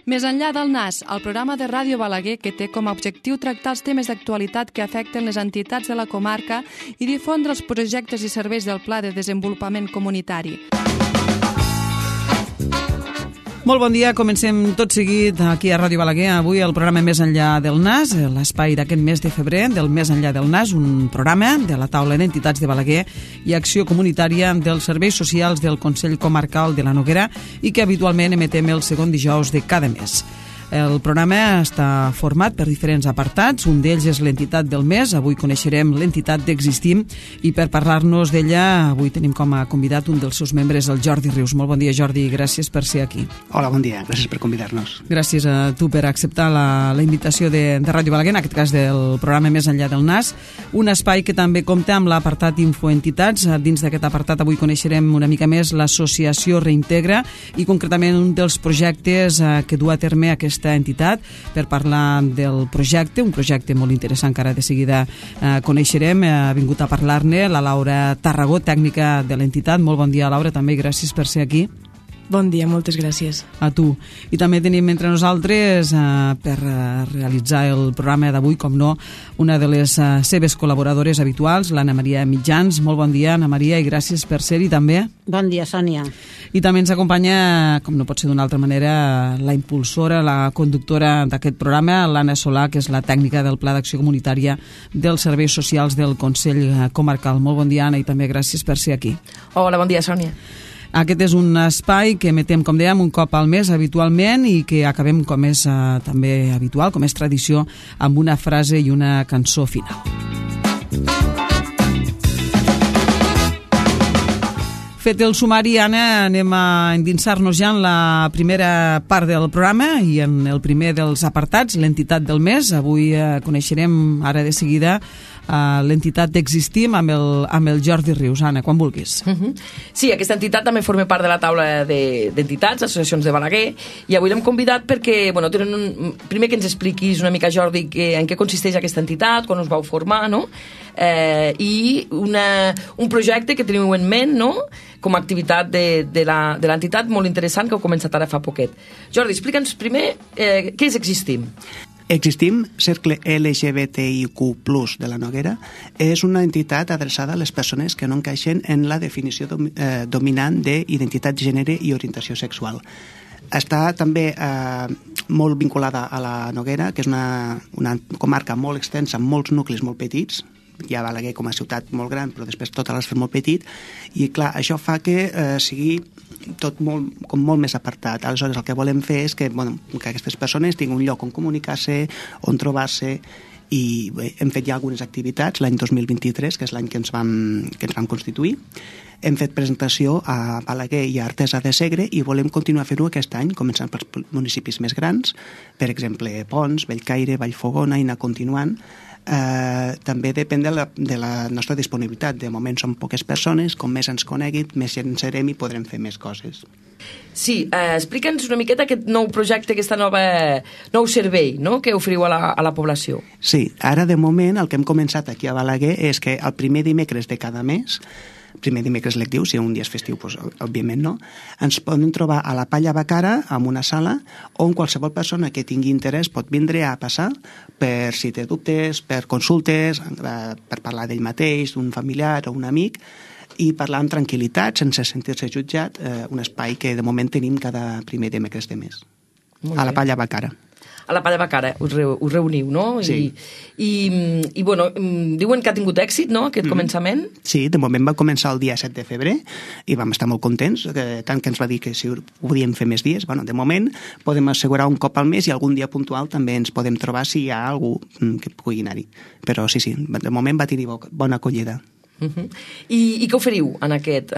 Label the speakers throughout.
Speaker 1: Més enllà del NAS, el programa de Ràdio Balaguer que té com a objectiu tractar els temes d'actualitat que afecten les entitats de la comarca i difondre els projectes i serveis del Pla de Desenvolupament Comunitari.
Speaker 2: Molt bon dia, comencem tot seguit aquí a Ràdio Balaguer. Avui el programa Més enllà del NAS, l'espai d'aquest mes de febrer del Més enllà del NAS, un programa de la taula d'entitats de Balaguer i acció comunitària dels serveis socials del Consell Comarcal de la Noguera i que habitualment emetem el segon dijous de cada mes. El programa està format per diferents apartats, un d'ells és l'entitat del mes, avui coneixerem l'entitat d'Existim i per parlar-nos d'ella avui tenim com a convidat un dels seus membres, el Jordi Rius. Molt bon dia, Jordi, i gràcies per ser aquí.
Speaker 3: Hola, bon dia, gràcies per convidar-nos.
Speaker 2: Gràcies a tu per acceptar la invitació de Ràdio Balaguer, en aquest cas del programa Més enllà del NAS, un espai que també compta amb l'apartat Infoentitats. Dins d'aquest apartat avui coneixerem una mica més l'associació Reintegra i concretament un dels projectes que du a terme aquesta entitat. Per parlar del projecte, un projecte molt interessant que ara de seguida coneixerem, ha vingut a parlar-ne la Laura Tarragó, tècnica de l'entitat. Molt bon dia, Laura, també gràcies per ser aquí.
Speaker 4: Bon dia, moltes gràcies.
Speaker 2: A tu. I també tenim entre nosaltres, per realitzar el programa d'avui, com no, una de les seves col·laboradores habituals, l'Anna Maria Mitjans. Molt bon dia, Anna Maria, i gràcies per ser-hi també.
Speaker 5: Bon dia, Sònia.
Speaker 2: I també ens acompanya, com no pot ser d'una altra manera, la impulsora, la conductora d'aquest programa, l'Anna Solà, que és la tècnica del Pla d'Acció Comunitària dels Serveis Socials del Consell Comarcal. Molt bon dia, Anna, i també gràcies per ser aquí.
Speaker 4: Hola, bon dia, Sònia.
Speaker 2: Aquest és un espai que emetem, com dèiem, un cop al mes habitualment i que acabem, com és també habitual, com és tradició, amb una frase i una cançó final. Fet el sumari, Anna, anem a endinsar-nos ja en la primera part del programa i en el primer dels apartats, l'entitat del mes. Avui coneixerem ara de seguida l'entitat d'Existim amb el Jordi Rius. Anna, quan vulguis.
Speaker 4: Sí, aquesta entitat també forma part de la taula d'entitats, associacions de Balaguer, i avui l'hem convidat perquè, primer que ens expliquis una mica, Jordi, en què consisteix aquesta entitat, quan us vau formar, no? I un projecte que teniu en ment, no?, com a activitat de l'entitat molt interessant que heu començat ara fa poquet. Jordi, explica'ns primer què és Existim.
Speaker 3: Existim, Cercle LGBTIQ+ de la Noguera, és una entitat adreçada a les persones que no encaixen en la definició dominant d'identitat de gènere i orientació sexual. Està també molt vinculada a la Noguera, que és una comarca molt extensa, amb molts nuclis molt petits. Hi ha Balaguer com a ciutat molt gran, però després tot l'has fet molt petit, i clar, això fa que sigui tot molt més apartat. Aleshores, el que volem fer és que aquestes persones tinguin un lloc on comunicar-se, on trobar-se, i bé, hem fet ja algunes activitats l'any 2023, que és l'any que ens vam constituir. Hem fet presentació a Balaguer i a Artesa de Segre i volem continuar fent-ho aquest any, començant pels municipis més grans, per exemple, Pons, Bellcaire, Vallfogona, i anar continuant. També depèn de la nostra disponibilitat. De moment som poques persones, com més ens coneguin, més en serem i podrem fer més coses.
Speaker 4: Sí, explica'ns una miqueta aquest nou projecte, aquest nou servei, no?, que oferiu a la població.
Speaker 3: Sí, ara de moment el que hem començat aquí a Balaguer és que el primer dimecres de cada mes, primer dimecres lectiu, si un dia és festiu, doncs, òbviament no, ens poden trobar a la Palla Bacara, en una sala, on qualsevol persona que tingui interès pot vindre a passar per si té dubtes, per consultes, per parlar d'ell mateix, d'un familiar o un amic, i parlar amb tranquil·litat, sense sentir-se jutjat, un espai que de moment tenim cada primer dimecres de mes, a la Palla Bacara.
Speaker 4: A la Palla Bacara us reuniu, no?
Speaker 3: Sí.
Speaker 4: I diuen que ha tingut èxit, no?, aquest començament?
Speaker 3: Sí, de moment va començar el dia 7 de febrer i vam estar molt contents, tant que ens va dir que si ho podíem fer més dies. De moment podem assegurar un cop al mes i algun dia puntual també ens podem trobar si hi ha algú que pugui anar-hi. Però sí, de moment va tenir bona acollida.
Speaker 4: I què oferiu en aquest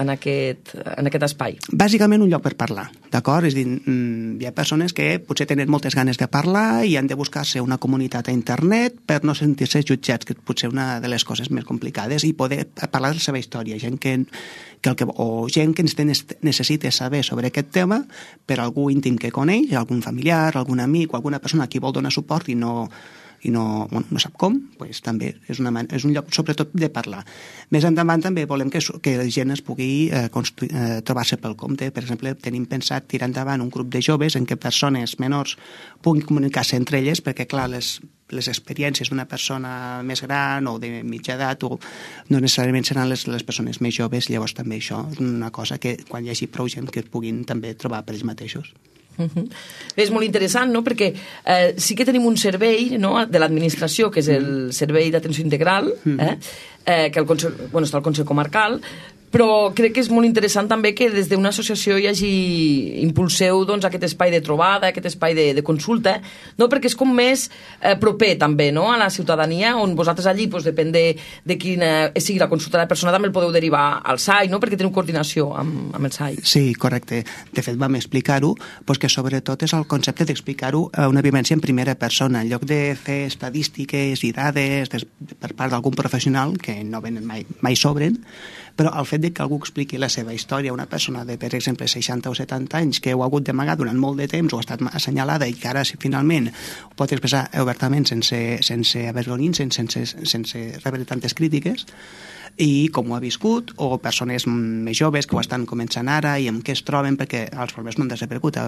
Speaker 4: espai?
Speaker 3: Bàsicament un lloc per parlar, d'acord? És a dir, hi ha persones que potser tenen moltes ganes de parlar i han de buscar-se una comunitat a internet per no sentir-se jutjats, que potser una de les coses més complicades, i poder parlar de la seva història, gent que necessita saber sobre aquest tema per algú íntim que coneix, algun familiar, algun amic o alguna persona a qui vol donar suport i no i no sap com, doncs també és un lloc sobretot de parlar. Més endavant també volem que la gent es pugui trobar-se pel compte. Per exemple, tenim pensat tirar endavant un grup de joves en què persones menors puguin comunicar-se entre elles, perquè clar, les experiències d'una persona més gran o de mitja edat no necessàriament seran les persones més joves. Llavors també això és una cosa que quan hi hagi prou gent que es puguin també trobar per ells mateixos.
Speaker 4: És molt interessant, no? Perquè sí que tenim un servei, no?, de l'administració, que és el servei d'atenció integral, que està al Consell Comarcal, però crec que és molt interessant també que des d'una associació impulseu doncs, aquest espai de trobada, aquest espai de consulta, no? Perquè és com més proper també, no?, a la ciutadania, on vosaltres allí, doncs, depèn de quina sigui la consulta de la persona, també el podeu derivar al SAI, no?, perquè teniu coordinació amb el SAI.
Speaker 3: Sí, correcte. De fet, vam explicar-ho, doncs que sobretot és el concepte d'explicar-ho a una vivència en primera persona, en lloc de fer estadístiques i dades per part d'algun professional, que no venen mai sobren, però el fet de que algú expliqui la seva història a una persona de, per exemple, 60 o 70 anys que ho ha hagut d'amagar durant molt de temps o ha estat assenyalada i que ara finalment ho pot expressar obertament sense avergonyir-se, sense rebre tantes crítiques, i com ho ha viscut, o persones més joves que ho estan començant ara i amb què es troben, perquè els problemes no han desaparegut,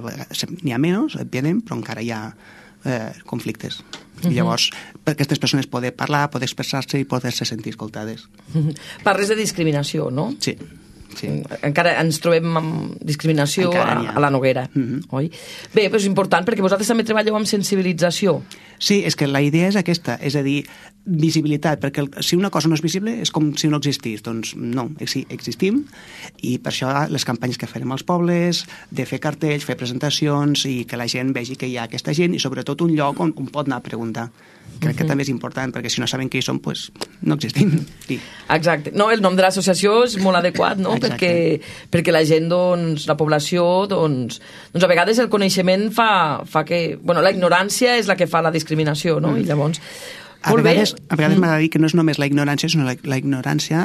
Speaker 3: n'hi ha menys, òbviament, però encara hi ha conflictes. I llavors, per aquestes persones poder parlar, poder expressar-se i poder-se sentir escoltades.
Speaker 4: Parles de discriminació, no?
Speaker 3: Sí.
Speaker 4: Encara ens trobem amb discriminació a la Noguera, oi? Bé, però és important perquè vosaltres també treballeu amb sensibilització.
Speaker 3: Sí, és que la idea és aquesta, és a dir, visibilitat, perquè si una cosa no és visible és com si no existís. Doncs no, sí, existim, i per això les campanyes que farem als pobles, de fer cartells, fer presentacions i que la gent vegi que hi ha aquesta gent i sobretot un lloc on pot anar a preguntar. Crec que també és important, perquè si no saben qui som, doncs no existim. Sí.
Speaker 4: Exacte. No, el nom de l'associació és molt adequat, no? Perquè la gent, doncs, la població, doncs a vegades el coneixement fa que... Bueno, la ignorància és la que fa la discriminació, no? I llavors...
Speaker 3: A vegades m'ha de dir que no és només la ignorància, sinó la ignorància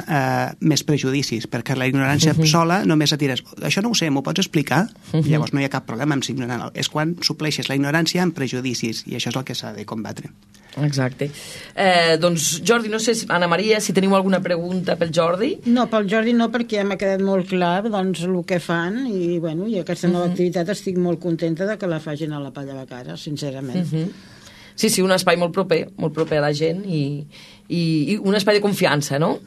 Speaker 3: més prejudicis, perquè la ignorància sola només et diràs, això no ho sé, m'ho pots explicar? Llavors no hi ha cap problema amb ser ignorant. És quan supleixes la ignorància amb prejudicis, i això és el que s'ha de combatre.
Speaker 4: Exacte. Doncs, Jordi, no sé, Anna Maria, si teniu alguna pregunta pel Jordi?
Speaker 5: No, pel Jordi no, perquè ja m'ha quedat molt clar doncs, el que fan, i, bueno, i aquesta nova activitat estic molt contenta de que la facin a la Palla de Cara, sincerament.
Speaker 4: Sí, un espai molt proper a la gent i un espai de confiança, no?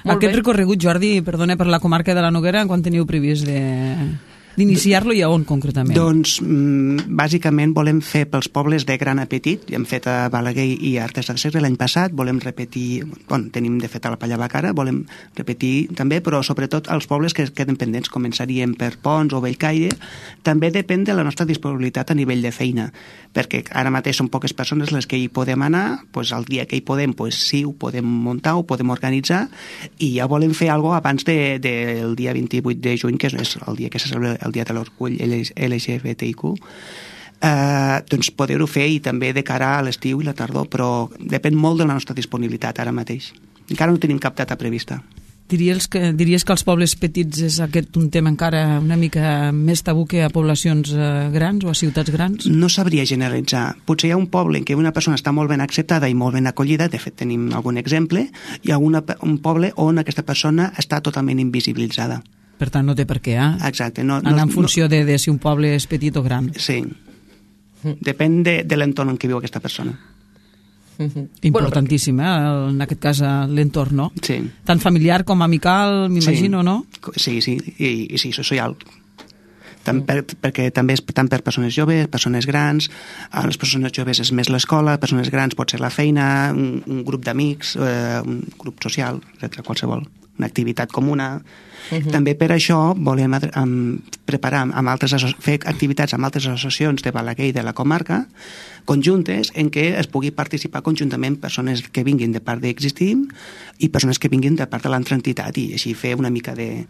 Speaker 2: Aquest recorregut, Jordi, perdona, per la comarca de la Noguera, quan teniu previst d'iniciar-lo i a on, concretament?
Speaker 3: Doncs, bàsicament, volem fer pels pobles de gran a petit. Hem fet a Balaguer i a Artesa de Segre l'any passat. Volem repetir... Bueno, tenim, de fet, a la Palla de Cara. Volem repetir també, però sobretot als pobles que queden pendents. Començaríem per Pons o Bellcaire. També depèn de la nostra disponibilitat a nivell de feina, perquè ara mateix són poques persones les que hi podem anar. Doncs el dia que hi podem, doncs sí, ho podem muntar, ho podem organitzar, i ja volem fer alguna cosa abans del dia 28 de juny, que és el dia que se celebra el dia de l'orgull LGBTIQ, doncs poder-ho fer, i també de cara a l'estiu i la tardor, però depèn molt de la nostra disponibilitat ara mateix. Encara no tenim cap data prevista.
Speaker 2: Diries que als pobles petits és aquest un tema encara una mica més tabú que a poblacions grans o a ciutats grans?
Speaker 3: No sabria generalitzar. Potser hi ha un poble en què una persona està molt ben acceptada i molt ben acollida, de fet tenim algun exemple, i un poble on aquesta persona està totalment invisibilitzada.
Speaker 2: Per tant, no té per què,
Speaker 3: Exacte.
Speaker 2: Anar en funció de si un poble és petit o gran.
Speaker 3: Sí. Depèn de l'entorn en què viu aquesta persona.
Speaker 2: Importantíssim, en aquest cas l'entorn, no?
Speaker 3: Sí.
Speaker 2: Tant familiar com amical, m'imagino, no?
Speaker 3: Sí, i sí, social. Perquè també és tant per persones joves, persones grans. A les persones joves és més l'escola, persones grans pot ser la feina, un grup d'amics, un grup social, etc., qualsevol, una activitat comuna. També per això volem preparar fer activitats amb altres associacions de Balaguer i de la comarca conjuntes en què es pugui participar conjuntament persones que vinguin de part d'Existim i persones que vinguin de part de l'altra entitat, i així fer una mica de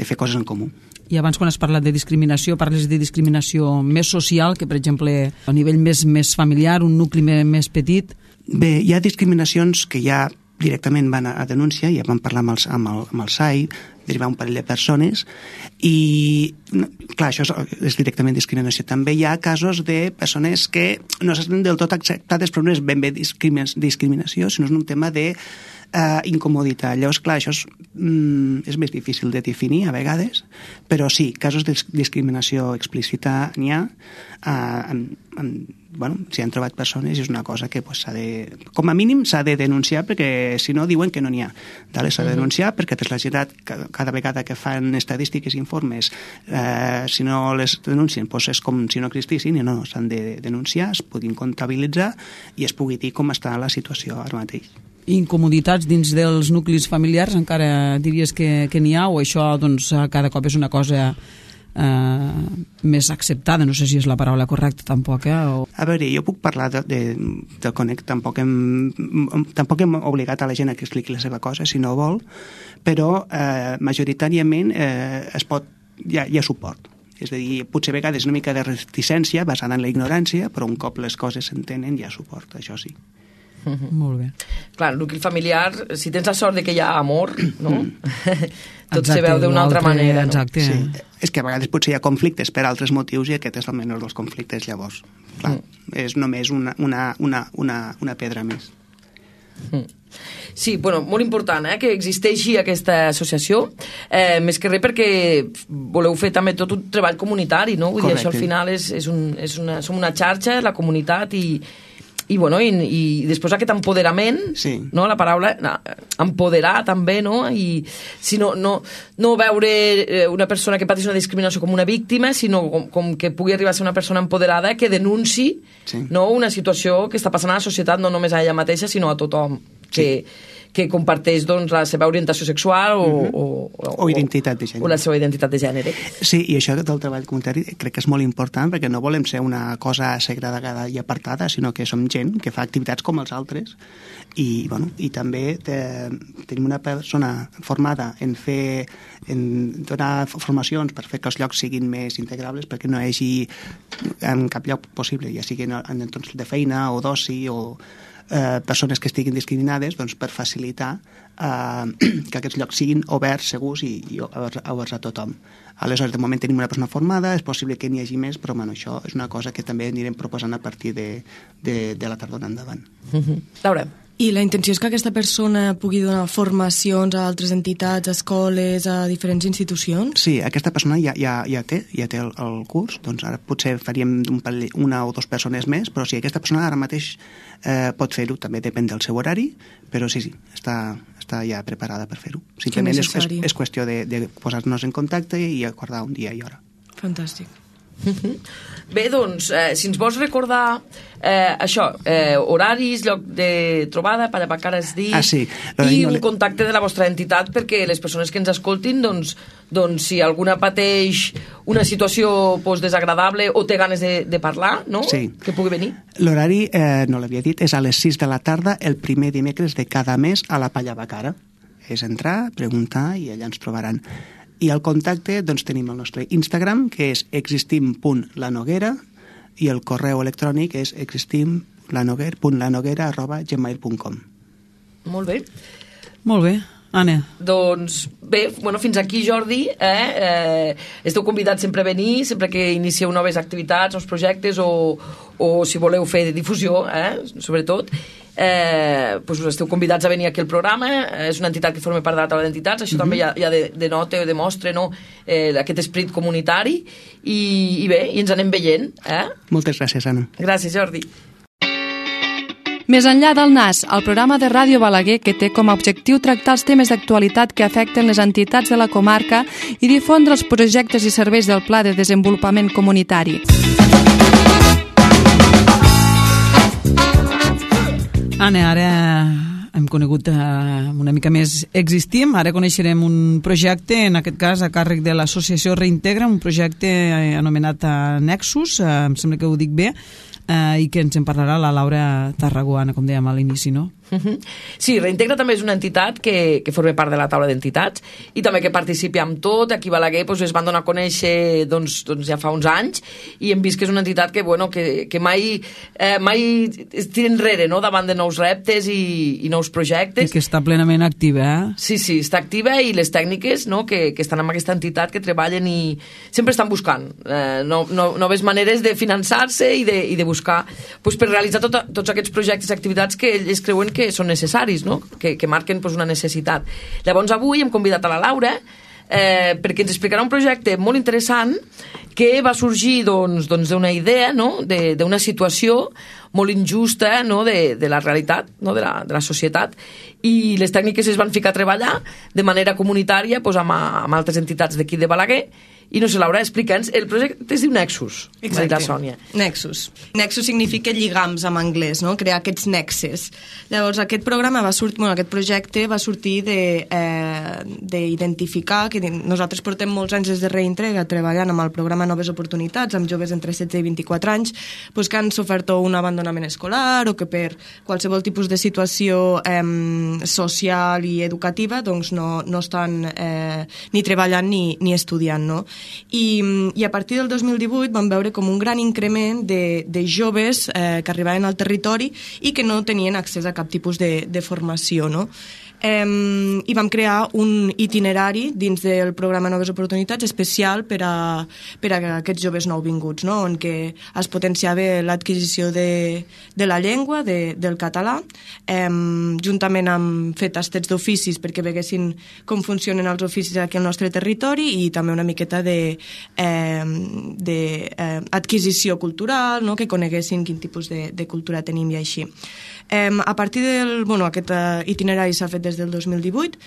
Speaker 3: fer coses en comú.
Speaker 2: I abans, quan has parlat de discriminació, parles de discriminació més social, que per exemple a nivell més familiar, un nucli més petit?
Speaker 3: Bé, hi ha discriminacions que ja directament van a denúncia, ja vam parlar amb el SAI, derivar un parell de persones i, clar, això és directament discriminació. També hi ha casos de persones que no s'estan del tot acceptades, però no és ben bé discriminació, sinó és un tema de incomoditat. Llavors, clar, això és més difícil de definir a vegades, però sí, casos de discriminació explícita n'hi ha. S'hi han trobat persones i és una cosa que com a mínim s'ha de denunciar, perquè si no diuen que no n'hi ha. S'ha de denunciar perquè la Generalitat cada vegada que fan estadístiques i informes, si no les denuncien és com si no existissin, i no, s'han de denunciar, es puguin comptabilitzar i es pugui dir com està la situació ara mateix.
Speaker 2: Incomoditats dins dels nuclis familiars encara diries que n'hi ha, o això doncs cada cop és una cosa més acceptada, no sé si és la paraula correcta tampoc,
Speaker 3: A veure, jo puc parlar de Connect, tampoc hem obligat a la gent a que expliqui la seva cosa si no vol, però majoritàriament hi ha suport. És a dir, potser a vegades una mica de reticència basada en la ignorància, però un cop les coses s'entenen hi ha suport, això sí.
Speaker 2: Molt bé.
Speaker 4: Clar, el nucli familiar, si tens la sort de que hi ha amor, no? Tot se veu d'una altra manera.
Speaker 2: Exacte.
Speaker 3: Sí. És que a vegades potser hi ha conflictes per altres motius i aquest és el menor dels conflictes, llavors. Clar, és només una pedra més.
Speaker 4: Sí, bueno, molt important que existeixi aquesta associació, més que res perquè voleu fer també tot un treball comunitari, no? Vull dir, això al final som una xarxa, la comunitat, i després aquest empoderament,
Speaker 3: sí.
Speaker 4: No? La paraula empoderar també, no? I si no veure una persona que pateix una discriminació com una víctima, sinó com que pugui arribar a ser una persona empoderada que denunciï, sí. No? Una situació que està passant a la societat, no només a ella mateixa, sinó a tothom que comparteix doncs, la seva orientació sexual o
Speaker 3: identitat de gènere.
Speaker 4: O la seva identitat de gènere.
Speaker 3: Sí, i això del treball comunitari crec que és molt important perquè no volem ser una cosa segregada i apartada, sinó que som gent que fa activitats com els altres i també tenim una persona formada en donar formacions per fer que els llocs siguin més integrables, perquè no hi hagi en cap lloc possible, ja sigui en entorns de feina o d'oci o persones que estiguin discriminades, doncs per facilitar que aquests llocs siguin oberts, segurs i oberts a tothom. Aleshores, de moment tenim una persona formada, és possible que n'hi hagi més, però això és una cosa que també anirem proposant a partir de la tardor endavant.
Speaker 4: Laura.
Speaker 6: I la intenció és que aquesta persona pugui donar formacions a altres entitats, a escoles, a diferents institucions?
Speaker 3: Sí, aquesta persona ja té el curs, doncs ara potser faríem una o dues persones més, però sí, aquesta persona ara mateix pot fer-ho, també depèn del seu horari, però sí, està ja preparada per fer-ho. Simplement és qüestió de posar-nos en contacte i acordar un dia i hora.
Speaker 6: Fantàstic.
Speaker 4: Bé, doncs, si ens vols recordar horaris, lloc de trobada, Pallabacara has dit,
Speaker 3: sí.
Speaker 4: I un contacte de la vostra entitat perquè les persones que ens escoltin, doncs si alguna pateix una situació desagradable o té ganes de parlar, no?
Speaker 3: Sí.
Speaker 4: Que pugui venir.
Speaker 3: L'horari, no l'havia dit, és a les 6 de la tarda el primer dimecres de cada mes a la Pallabacara. És entrar, preguntar i allà ens trobaran. I al contacte doncs, tenim el nostre Instagram, que és existim.lanoguera, i el correu electrònic és existim.lanoguera@gmail.com.
Speaker 4: Molt bé.
Speaker 2: Molt bé. Anna.
Speaker 4: Doncs bé, fins aquí, Jordi. Esteu convidats sempre a venir, sempre que inicieu noves activitats, nous projectes, o si voleu fer difusió, sobretot. Us esteu convidats a venir aquí al programa. És una entitat que forma part de la taula d'entitats, això també ja denota o demostra aquest esperit comunitari i bé, i ens anem veient.
Speaker 3: Moltes gràcies, Anna.
Speaker 4: Gràcies, Jordi.
Speaker 1: Més enllà del NAS, el programa de Ràdio Balaguer que té com a objectiu tractar els temes d'actualitat que afecten les entitats de la comarca i difondre els projectes i serveis del Pla de Desenvolupament Comunitari.
Speaker 2: Anna, ara hem conegut una mica més Existim, ara coneixerem un projecte, en aquest cas a càrrec de l'associació Reintegra, un projecte anomenat Nexus, em sembla que ho dic bé, i que ens en parlarà la Laura Tarraguana, com dèiem a l'inici, no?
Speaker 4: Sí, Reintegra també és una entitat que forma part de la taula d'entitats i també que participi amb tot. Aquí a Balaguer es van donar a conèixer ja fa uns anys i hem vist que és una entitat que mai es tira enrere, no?, davant de nous reptes i nous projectes.
Speaker 2: I que està plenament activa,
Speaker 4: Sí, està activa i les tècniques, no?, que estan amb aquesta entitat, que treballen i sempre estan buscant noves maneres de finançar-se i de buscar per realitzar tots aquests projectes i activitats que ells creuen que són necessaris, no?, que marquen una necessitat. Llavors avui hem convidat a la Laura perquè ens explicarà un projecte molt interessant que va sorgir d'una idea, no?, d'una situació molt injusta, no?, de la realitat, no?, de la societat, i les tècniques es van ficar a treballar de manera comunitària amb altres entitats d'aquí de Balaguer. I no sé, Laura, explica'ns, el projecte es diu Nexus.
Speaker 6: Exacte,
Speaker 4: Sònia.
Speaker 6: Nexus. Nexus significa lligams en anglès, no?, crear aquests nexes. Llavors, aquest projecte va sortir d'identificar que nosaltres portem molts anys des de Reintegra treballant amb el programa Noves Oportunitats, amb joves entre 16 i 24 anys, que han sofert un abandonament escolar o que per qualsevol tipus de situació social i educativa no estan ni treballant ni estudiant, no? I a partir del 2018 vam veure com un gran increment de joves que arribaven al territori i que no tenien accés a cap tipus de formació, no? I vam crear un itinerari dins del programa Noves Oportunitats especial per a aquests joves nouvinguts, no?, on que es potenciava l'adquisició de la llengua, del català, juntament amb fer tastets d'oficis perquè veguessin com funcionen els oficis aquí al nostre territori i també una miqueta d'adquisició cultural, no?, que coneguessin quin tipus de cultura tenim i així. A partir aquest itinerari s'ha fet des del 2018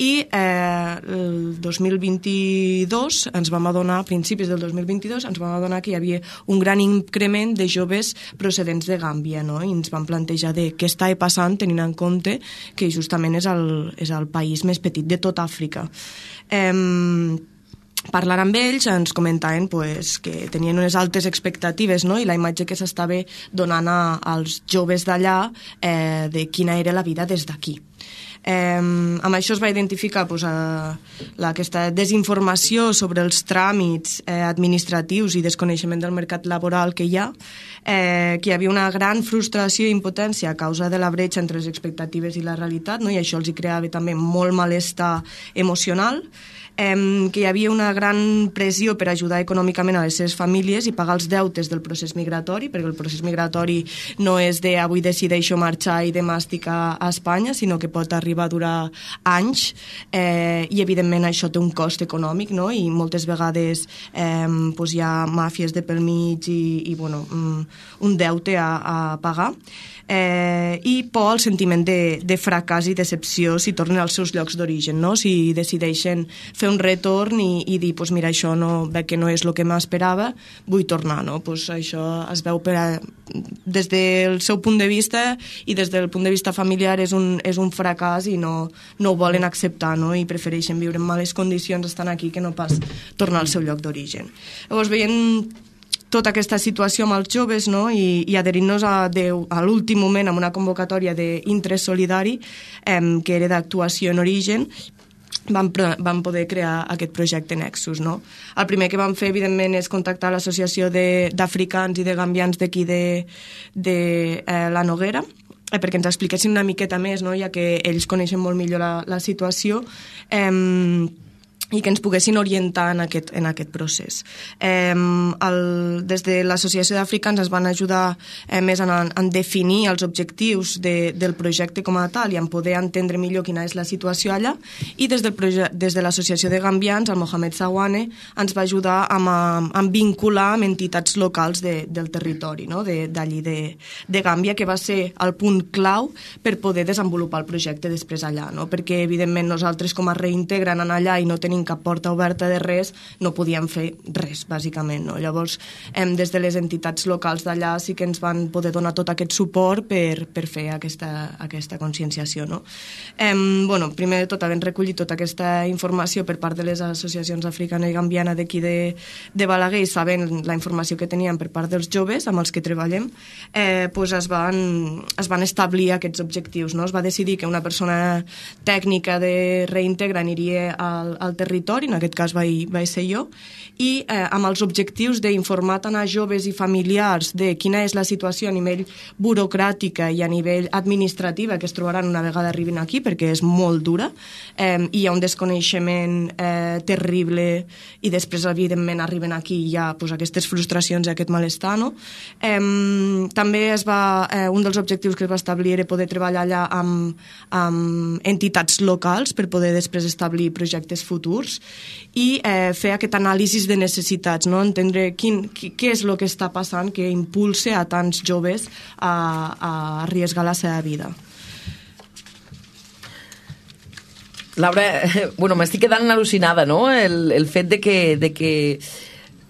Speaker 6: i el 2022 ens vam adonar, a principis del 2022, ens vam adonar que hi havia un gran increment de joves procedents de Gàmbia, no?, i ens vam plantejar què està passant tenint en compte que justament és el país més petit de tot Àfrica. Parlant amb ells ens comentaven que tenien unes altes expectatives, no?, i la imatge que s'estava donant als joves d'allà de quina era la vida des d'aquí. Amb això es va identificar aquesta desinformació sobre els tràmits administratius i desconeixement del mercat laboral que hi ha, que hi havia una gran frustració i impotència a causa de la bretxa entre les expectatives i la realitat, no?, i això els hi creava també molt malestar emocional, que hi havia una gran pressió per ajudar econòmicament a les seves famílies i pagar els deutes del procés migratori, perquè el procés migratori no és de avui decideixo marxar i demà estic a Espanya, sinó que pot arribar a durar anys i evidentment això té un cost econòmic, no?, i moltes vegades hi ha màfies de pel mig i un deute a pagar. I por al sentiment de fracàs i decepció si tornen als seus llocs d'origen, no?, si decideixen fer un retorn i dir, mira, això veig que no és el que m'esperava, vull tornar, no? Això es veu des del seu punt de vista i des del punt de vista familiar és un fracàs i no ho volen acceptar, no?, i prefereixen viure en males condicions estant aquí que no pas tornar al seu lloc d'origen. Llavors, veient tota aquesta situació amb els joves, no?, i adherint-nos a l'últim moment amb una convocatòria d'interès solidari que era d'actuació en origen, vam poder crear aquest projecte Nexus, no? El primer que vam fer, evidentment, és contactar l'Associació d'Africans i de Gambians d'aquí de la Noguera, perquè ens expliquessin una miqueta més, no?, ja que ells coneixen molt millor la situació, i que ens poguessin orientar en aquest procés. Des de l'Associació d'Africans ens van ajudar més en definir els objectius del projecte com a tal i en poder entendre millor quina és la situació allà, i des de l'Associació de Gambians, el Mohamed Sawane, ens va ajudar a vincular amb entitats locals del territori, no?, d'allí de Gàmbia, que va ser el punt clau per poder desenvolupar el projecte després allà, no?, perquè evidentment nosaltres com a Reintegra anant allà i no tenim tenint cap porta oberta de res, no podíem fer res, bàsicament. No? Llavors, des de les entitats locals d'allà sí que ens van poder donar tot aquest suport per fer aquesta conscienciació. No? Primer de tot, havent recollit tota aquesta informació per part de les associacions africana i gambiana d'aquí de Balaguer, i sabent la informació que teníem per part dels joves amb els que treballem, es van establir aquests objectius. No? Es va decidir que una persona tècnica de reintegra aniria al territori, en aquest cas vaig ser jo, i amb els objectius d'informar tant a joves i familiars de quina és la situació a nivell burocràtica i a nivell administrativa que es trobaran una vegada arribin aquí, perquè és molt dura, i hi ha un desconeixement terrible, i després, evidentment, arriben aquí i hi ha aquestes frustracions i aquest malestar. No? També un dels objectius que es va establir era poder treballar allà amb entitats locals per poder després establir projectes futurs i fer aquest anàlisi de necessitats, no? Entendre què és el que està passant que impulsa a tants joves a arriesgar la seva vida.
Speaker 4: Laura, m'estic quedant al·lucinada, no? El fet de que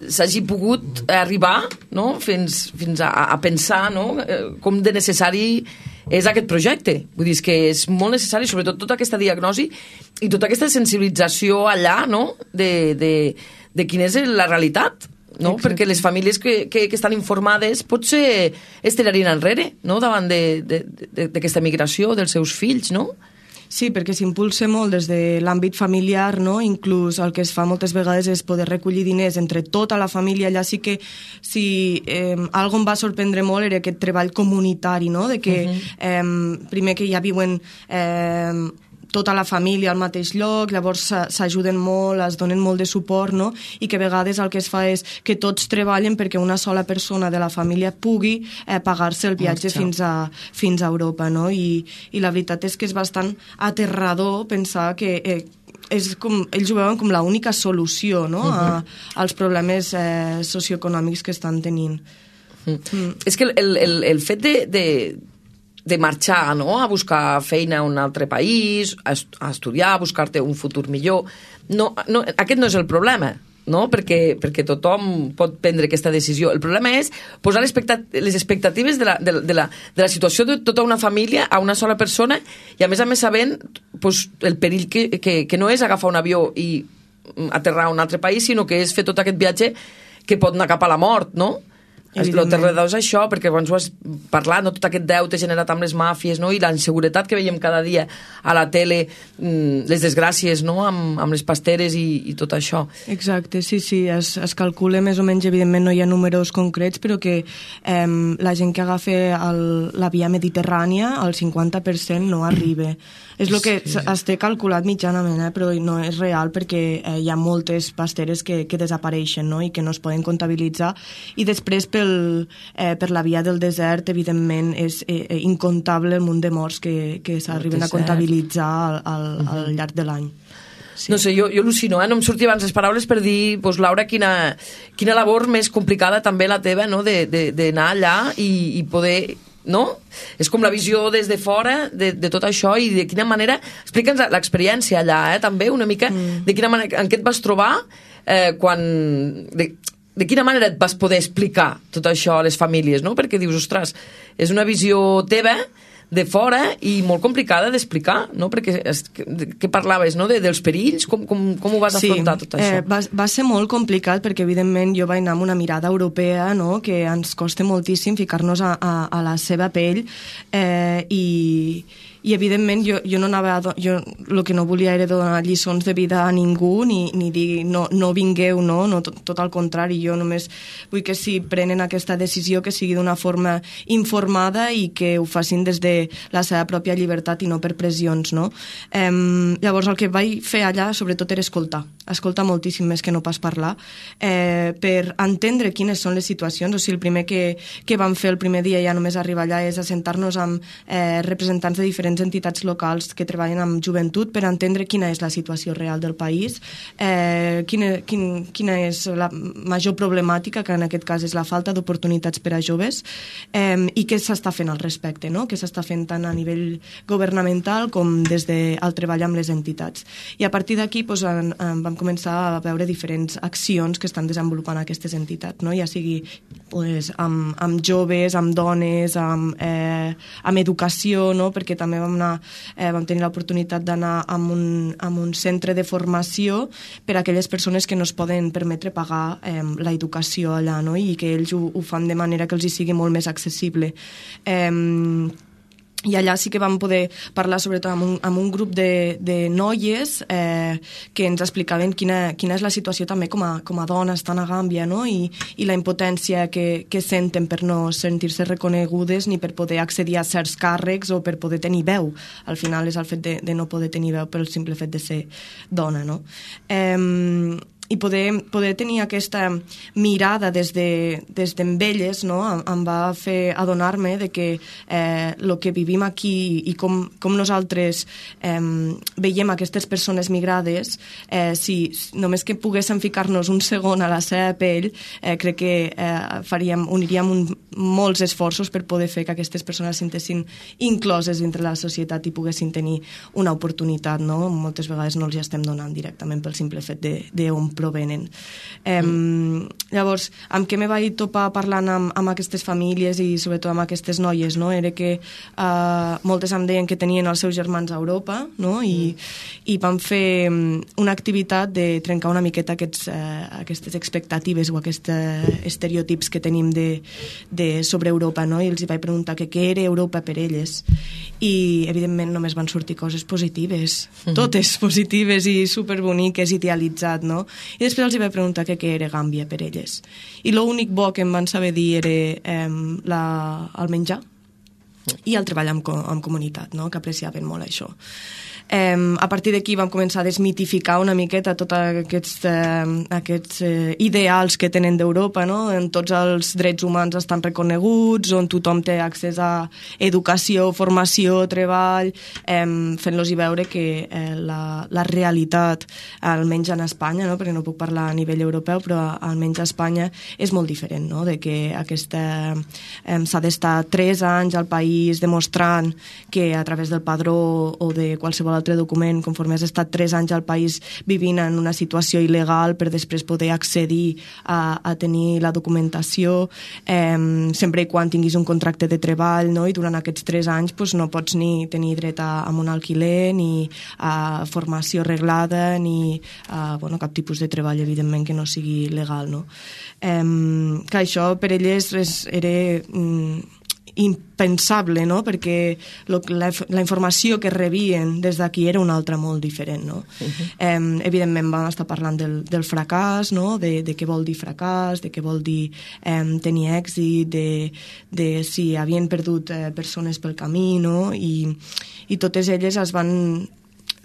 Speaker 4: s'hagi pogut arribar, no? fins a pensar, no? Com de necessari és aquest projecte. Vull dir, que és molt necessari, sobretot tota aquesta diagnosi i tota aquesta sensibilització allà, no? de quina és la realitat. No? Perquè les famílies que estan informades potser es tirarien enrere, no? Davant d'aquesta migració dels seus fills, no?
Speaker 6: Sí, perquè s'impulsa molt des de l'àmbit familiar, no? Inclús el que es fa moltes vegades és poder recollir diners entre tota la família. Allà sí que algo em va sorprendre molt era aquest treball comunitari, no? De que primer que ja viuen tota la família al mateix lloc, llavors s'ajuden molt, es donen molt de suport, no? I que a vegades el que es fa és que tots treballen perquè una sola persona de la família pugui pagar-se el viatge fins a Europa, no? I la veritat és que és bastant aterrador pensar que és com, ells ho veuen com l'única solució, no? als problemes socioeconòmics que estan tenint.
Speaker 4: És que el fet de marxar, no? A buscar feina a un altre país, a estudiar, a buscar-te un futur millor, aquest no és el problema, no? Perquè tothom pot prendre aquesta decisió. El problema és posar les expectatives de la situació de tota una família a una sola persona i a més sabent el perill que no és agafar un avió i aterrar a un altre país, sinó que és fer tot aquest viatge que pot anar cap a la mort, no? El terredor és això, perquè abans ho has parlat, no? Tot aquest deute generat amb les màfies, no? I la inseguretat que veiem cada dia a la tele, les desgràcies, no? amb les pasteres i tot això.
Speaker 6: Exacte, sí, es calcula més o menys, evidentment no hi ha números concrets, però que la gent que agafa la via mediterrània, el 50% no arriba. És el que es té calculat mitjanament, però no és real perquè hi ha moltes pasteres que desapareixen, no? I que no es poden comptabilitzar, i després per la via del desert, evidentment, és incontable el munt de morts que s'arriben a comptabilitzar al llarg de l'any.
Speaker 4: Sí. No sé, jo al·lucino, no em sortia abans les paraules per dir, Laura, quina labor més complicada també la teva, no? D'anar allà i poder... no? És com la visió des de fora de tot això i de quina manera... Explica'ns l'experiència allà, també, una mica, de quina manera, en què et vas trobar quan... De quina manera et vas poder explicar tot això a les famílies, no? Perquè dius, ostres, és una visió teva de fora i molt complicada d'explicar, no? Perquè què parlaves, no? Dels perills, com ho vas afrontar tot això?
Speaker 6: Va ser molt complicat perquè evidentment jo vaig anar amb una mirada europea, no? Que ens costa moltíssim ficar-nos a la seva pell i evidentment jo no anava jo el que no volia era donar lliçons de vida a ningú ni dir no vingueu, no, tot al contrari, jo només vull que si prenen aquesta decisió que sigui d'una forma informada i que ho facin des de la seva pròpia llibertat i no per pressions, no? Llavors el que vaig fer allà sobretot era escoltar moltíssim més que no pas parlar, per entendre quines són les situacions. O sigui, el primer que vam fer el primer dia ja només arribar allà és assentar-nos amb representants de diferents entitats locals que treballen amb joventut per entendre quina és la situació real del país, quina és la major problemàtica, que en aquest cas és la falta d'oportunitats per a joves, i què s'està fent al respecte, no? Què s'està fent tant a nivell governamental com des del treball amb les entitats. I a partir d'aquí vam començar a veure diferents accions que estan desenvolupant aquestes entitats, no? Ja sigui amb joves, amb dones, amb educació, no? Perquè també vam tenir l'oportunitat d'anar a un centre de formació per a aquelles persones que no es poden permetre pagar l'educació allà, no? I que ells ho fan de manera que els hi sigui molt més accessible. I allà sí que vam poder parlar sobretot amb un grup de noies que ens explicaven quina és la situació també com a dones estan a Gàmbia, no? I la impotència que senten per no sentir-se reconegudes ni per poder accedir a certs càrrecs o per poder tenir veu. Al final és el fet de no poder tenir veu pel simple fet de ser dona, no? I poder tenir aquesta mirada des d'en elles, no? Em va fer adonar-me de que el que vivim aquí i com nosaltres veiem aquestes persones migrades, si només que poguéssim ficar-nos un segon a la seva pell, crec que uniríem molts esforços per poder fer que aquestes persones sentessin incloses dintre la societat i poguessin tenir una oportunitat, no? Moltes vegades no els hi estem donant directament pel simple fet d'on provenen. Llavors, amb què me vaig topar parlant amb aquestes famílies i sobretot amb aquestes noies, no? Era que moltes em deien que tenien els seus germans a Europa, no? I vam fer una activitat de trencar una miqueta aquestes expectatives o aquests estereotips que tenim sobre Europa, no? I els vaig preguntar què era Europa per elles i evidentment només van sortir coses positives, totes positives i superboniques, idealitzat, no? I després els vaig preguntar què era Gàmbia per elles. I l'únic bo que em van saber dir era el menjar i el treball en comunitat, no? Que apreciaven molt això. A partir d'aquí vam començar a desmitificar una miqueta tots aquests ideals que tenen d'Europa, no? On tots els drets humans estan reconeguts, on tothom té accés a educació, formació, treball, fent-los veure que la realitat, almenys en Espanya, no? Perquè no puc parlar a nivell europeu, però almenys a Espanya és molt diferent, no? De que s'ha d'estar 3 anys al país demostrant que a través del padró o de qualsevol altre document, conforme has estat 3 anys al país vivint en una situació il·legal per després poder accedir a tenir la documentació, sempre i quan tinguis un contracte de treball, no? I durant aquests 3 anys no pots ni tenir dret a un alquiler, ni a formació reglada, ni a cap tipus de treball, evidentment, que no sigui legal, no? Que això per elles era impensable, no? Perquè la informació que rebien des d'aquí era una altra molt diferent, no? Evidentment vam estar parlant del fracàs, no? De què vol dir fracàs, de què vol dir tenir èxit, de si havien perdut persones pel camí, no? I totes elles es van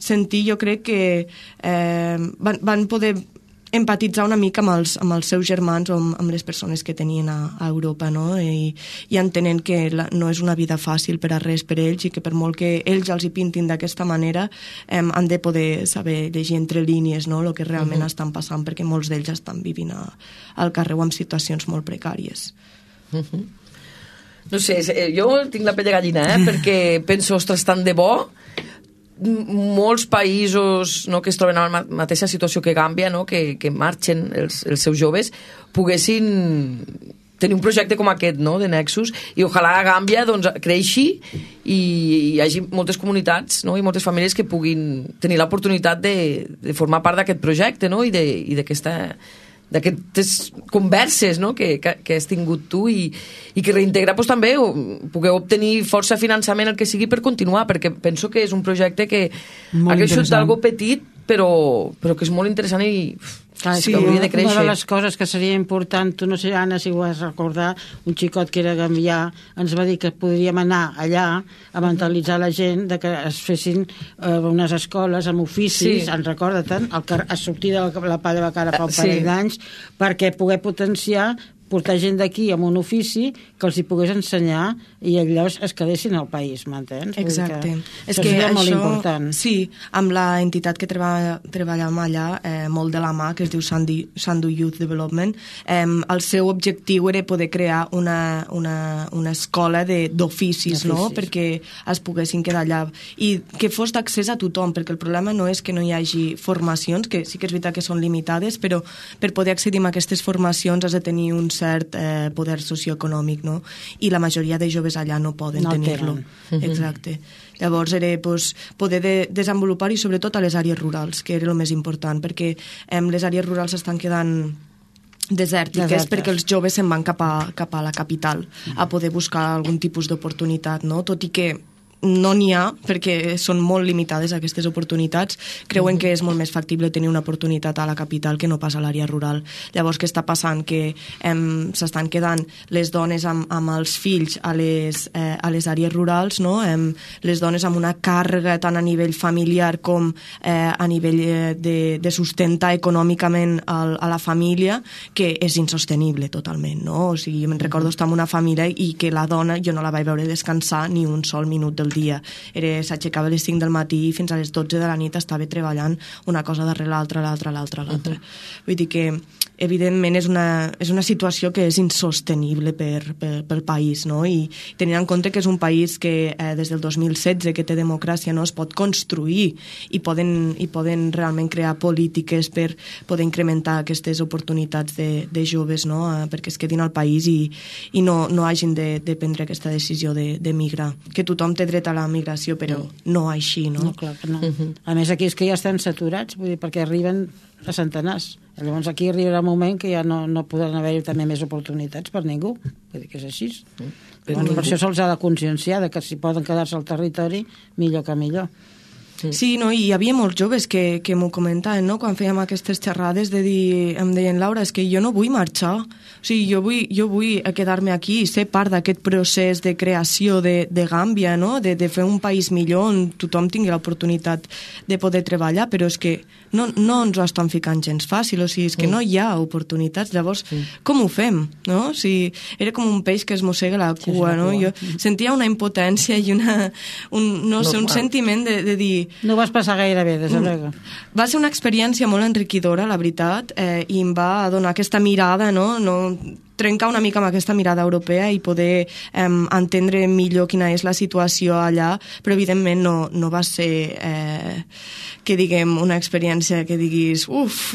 Speaker 6: sentir, jo crec que van poder empatitzar una mica amb els seus germans o amb les persones que tenien a Europa, no? I entenent que no és una vida fàcil per a res per ells i que per molt que ells els hi pintin d'aquesta manera han de poder saber llegir entre línies, no? El que realment estan passant, perquè molts d'ells estan vivint al carrer o en situacions molt precàries.
Speaker 4: No sé, jo tinc la pell de gallina, perquè penso, ostres, tant de bo molts països, no, que es troben a la mateixa situació que Gàmbia, no, que marxen els seus joves, poguessin tenir un projecte com aquest, no, de Nexus, i ojalà a Gàmbia creixi i hi hagi moltes comunitats, no, i moltes famílies que puguin tenir l'oportunitat de formar part d'aquest projecte, no, i d'aquestes converses, no, que has tingut tu i que reintegrar també pugueu obtenir força finançament, el que sigui, per continuar, perquè penso que és un projecte que ha creixut d'algo petit però que és molt interessant i
Speaker 5: sí, hauria de créixer. Una de les coses que seria important, tu no sé, Anna, si ho has recordar, un xicot que era gambià ens va dir que podríem anar allà a mentalitzar la gent de que es fessin unes escoles amb oficis, en recorda-te'n, a sortir de la Palla de Cara fa un parell d'anys, perquè poder potenciar portar gent d'aquí amb un ofici que els hi pogués ensenyar i llavors es quedessin al país, m'entens?
Speaker 6: Exacte.
Speaker 5: És que això molt important.
Speaker 6: Sí, amb la entitat que treballem allà, molt de la mà, que es diu Sandu Youth Development, el seu objectiu era poder crear una escola d'oficis, no?, perquè es poguessin quedar allà i que fos d'accés a tothom, perquè el problema no és que no hi hagi formacions, que sí que és veritat que són limitades, però per poder accedir a aquestes formacions has de tenir un cert poder socioeconòmic, no? I la majoria de joves allà no poden tenir-lo. Exacte. Llavors era poder desenvolupar i sobretot a les àrees rurals, que era el més important, perquè les àrees rurals estan quedant desèrtiques perquè els joves se'n van cap a la capital a poder buscar algun tipus d'oportunitat, no? Tot i que no n'hi ha, perquè són molt limitades aquestes oportunitats, creuen que és molt més factible tenir una oportunitat a la capital que no pas a l'àrea rural. Llavors, què està passant? Que s'estan quedant les dones amb els fills a les àrees rurals, no? Les dones amb una càrrega tant a nivell familiar com a nivell de sustentar econòmicament a la família, que és insostenible totalment, no? O sigui, me'n recordo estar en una família i que la dona jo no la vaig veure descansar ni un sol minut del dia. S'aixecava a les 5 del matí i fins a les 12 de la nit estava treballant una cosa darrere l'altra. Vull dir que evidentment és una situació que és insostenible pel país, no? I tenint en compte que és un país que des del 2016 que té democràcia, no, es pot construir i poden realment crear polítiques per poder incrementar aquestes oportunitats de joves, no? Perquè es quedin al país i no hagin de prendre aquesta decisió d'emigrar. Que tothom té dret a la migració, però no així, no?
Speaker 5: No, clar que no. A més, aquí és que ja estan saturats, vull dir, perquè arriben a centenars. Llavors aquí arribarà un moment que ja no podran haver-hi també més oportunitats per ningú. Vull dir que és així. Per això se'ls ha de conscienciar que si poden quedar-se al territori, millor que millor.
Speaker 6: Sí, no, i hi havia molts joves que m'ho comentaven, no?, quan fèiem aquestes xerrades de dir, em deien, Laura, és que jo no vull marxar, o sigui, jo vull quedar-me aquí i ser part d'aquest procés de creació de Gàmbia, no?, de fer un país millor on tothom tingui l'oportunitat de poder treballar, però és que no ens ho estan ficant gens fàcil, o sigui, és que no hi ha oportunitats, llavors com ho fem, no? O sigui, era com un peix que es mossega la cua, no? Jo sentia una impotència i un sentiment de dir...
Speaker 5: No vas passar gaire bé, des de luego.
Speaker 6: Va ser una experiència molt enriquidora, la veritat, i em va donar aquesta mirada, no? Trencar una mica amb aquesta mirada europea i poder entendre millor quina és la situació allà, però evidentment no va ser que diguem una experiència que diguis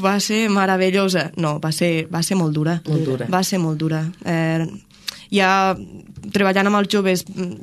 Speaker 6: va ser meravellosa. No, va ser molt dura. Va ser molt dura. Ja treballant amb els joves,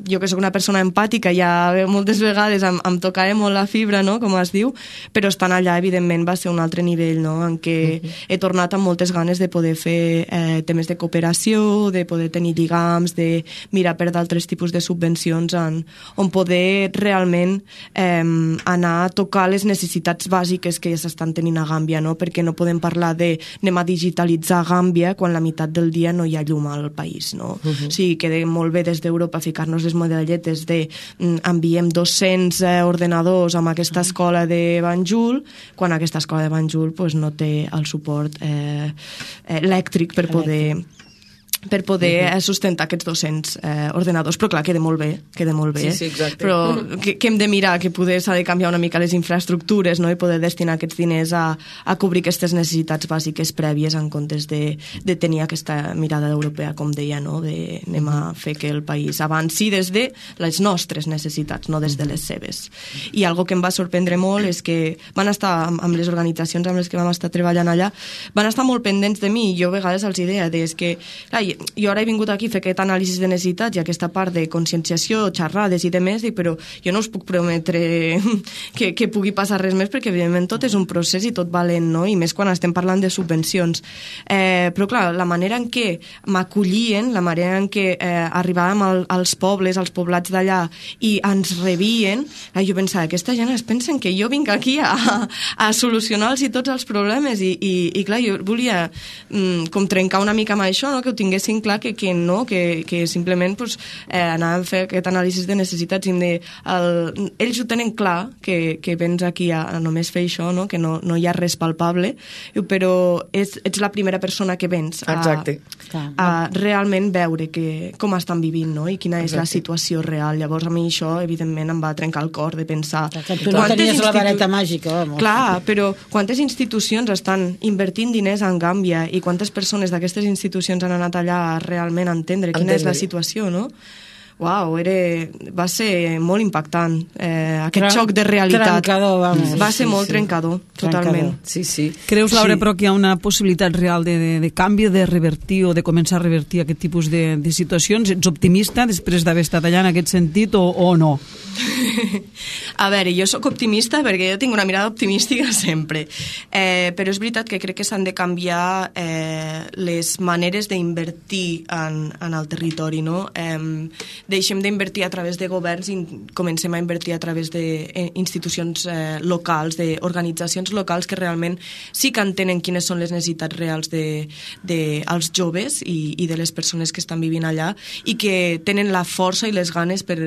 Speaker 6: jo que sóc una persona empàtica, ja moltes vegades em tocava molt la fibra, no?, com es diu, però estant allà, evidentment, va ser un altre nivell, no?, en què he tornat amb moltes ganes de poder fer temes de cooperació, de poder tenir lligams, de mirar per d'altres tipus de subvencions on poder realment anar a tocar les necessitats bàsiques que s'estan tenint a Gàmbia, no?, perquè no podem parlar de anem a digitalitzar Gàmbia quan la meitat del dia no hi ha llum al país, no? O sigui, queda molt bé des d'Europa ficar-nos les medalletes de enviem 200 ordenadors amb aquesta escola de Banjul, quan aquesta escola de Banjul no té el suport elèctric per poder sustentar aquests 200 ordenadors, però clar, queda molt bé.
Speaker 4: Sí, exacte.
Speaker 6: Però que hem de mirar, que poder s'ha de canviar una mica les infraestructures, no?, i poder destinar aquests diners a cobrir aquestes necessitats bàsiques prèvies en comptes de tenir aquesta mirada europea, com deia, no?, de anem a fer que el país avanci des de les nostres necessitats, no des de les seves. I algo que em va sorprendre molt és que van estar, amb les organitzacions amb les que vam estar treballant allà, van estar molt pendents de mi, i jo a vegades els deia, és que, clar, jo ara he vingut aquí a fer aquest anàlisi de necessitats i aquesta part de conscienciació, xerrades i demés, però jo no us puc prometre que pugui passar res més, perquè evidentment tot és un procés i tot valent, no?, i més quan estem parlant de subvencions. Però clar, la manera en què m'acollien, la manera en què arribàvem als pobles, als poblats d'allà, i ens rebien, jo pensava, aquesta gent es pensen que jo vinc aquí a solucionar-los tots els problemes, i clar, jo volia com trencar una mica amb això, no?, que ho tinguessin tinguessin clar que no, que simplement pues, anàvem a fer aquest anàlisi de necessitats i ells ho tenen clar que vens aquí a només fer això, no? Que no hi ha res palpable, però ets la primera persona que vens a realment veure com estan vivint, no? I quina és la situació real. Llavors a mi això evidentment em va trencar el cor de pensar...
Speaker 5: Tu no tenies la vareta màgica, vamos.
Speaker 6: Clar, però quantes institucions estan invertint diners en Gàmbia i quantes persones d'aquestes institucions han anat allà a realment entendre quina és la situació, no? Uau, va ser molt impactant aquest xoc de realitat.
Speaker 5: Trencador, vamos.
Speaker 6: Va ser molt trencador, totalment.
Speaker 4: Sí.
Speaker 2: Creus, Laura, però que hi ha una possibilitat real de canvi, de revertir o de començar a revertir aquest tipus de situacions? Ets optimista després d'haver estat allà en aquest sentit o no?
Speaker 6: A veure, jo sóc optimista perquè jo tinc una mirada optimística sempre, però és veritat que crec que s'han de canviar les maneres d'invertir en el territori, no? Deixem d'invertir a través de governs i comencem a invertir a través d'institucions locals, d'organitzacions locals que realment sí que entenen quines són les necessitats reals dels joves i de les persones que estan vivint allà i que tenen la força i les ganes per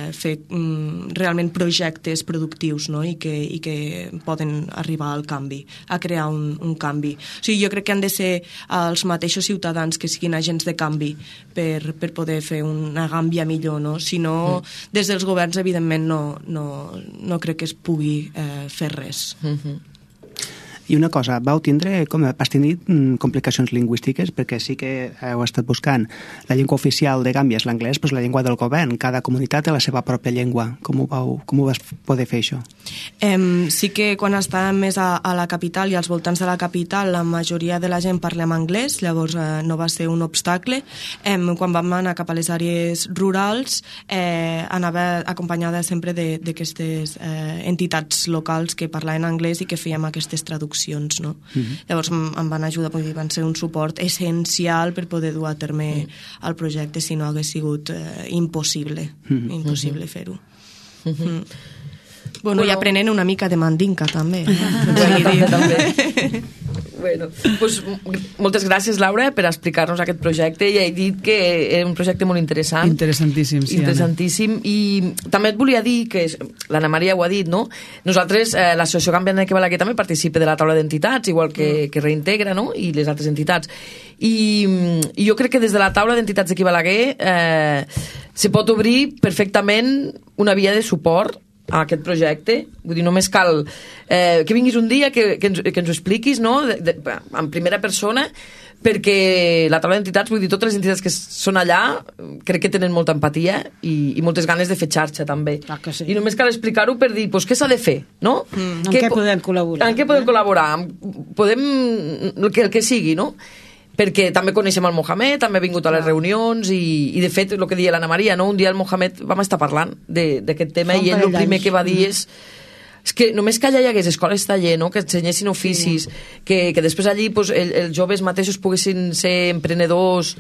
Speaker 6: fer realment projectes productius, no? I que poden arribar al canvi, a crear un canvi. O sigui, jo crec que han de ser els mateixos ciutadans que siguin agents de canvi per poder fer una Gàmbia millor, no? Si no, des dels governs, evidentment, no crec que es pugui fer res.
Speaker 3: I una cosa, vas tenir complicacions lingüístiques perquè sí que heu estat buscant la llengua oficial de Gàmbia és l'anglès, però és la llengua del govern. Cada comunitat té la seva pròpia llengua. Com ho vas poder fer, això?
Speaker 6: Sí que quan estàvem més a la capital i als voltants de la capital la majoria de la gent parlem anglès, llavors no va ser un obstacle. Quan vam anar cap a les àrees rurals anava acompanyada sempre d'aquestes entitats locals que parlaven anglès i que fèiem aquestes traduccions. No? Llavors em van ajudar, van ser un suport essencial per poder dur a terme el projecte, si no hagués sigut impossible fer-ho. Bueno, i aprenent una mica de mandinka també.
Speaker 4: Bueno, pues, moltes gràcies, Laura, per explicar-nos aquest projecte. Ja he dit que era un projecte molt interessant.
Speaker 2: Interessantíssim, sí,
Speaker 4: interessantíssim. I també et volia dir que, l'Anna Maria ho ha dit, no? Nosaltres, l'Associació Gàmbia que Balaguer també participa de la taula d'entitats, igual que Reintegra, no? I les altres entitats. I jo crec que des de la taula d'entitats d'aquí Balaguer se pot obrir perfectament una via de suport a aquest projecte. Vull dir, només cal que vinguis un dia, que ens ho expliquis, no? En primera persona, perquè la taula d'entitats, vull dir, totes les entitats que són allà, crec que tenen molta empatia i moltes ganes de fer xarxa, també.
Speaker 5: Sí.
Speaker 4: I només cal explicar-ho per dir, doncs, què s'ha de fer, no?
Speaker 5: En què podem col·laborar?
Speaker 4: En què podem col·laborar? El que sigui, no? Perquè també coneixem el Mohamed, també ha vingut a les reunions i de fet, el que deia l'Anna Maria, no? Un dia el Mohamed vam estar parlant d'aquest tema i ell el primer que va dir és que només que allà hi hagués escoles taller, no? Que ensenyessin oficis, que després allí pues, els joves mateixos poguessin ser emprenedors,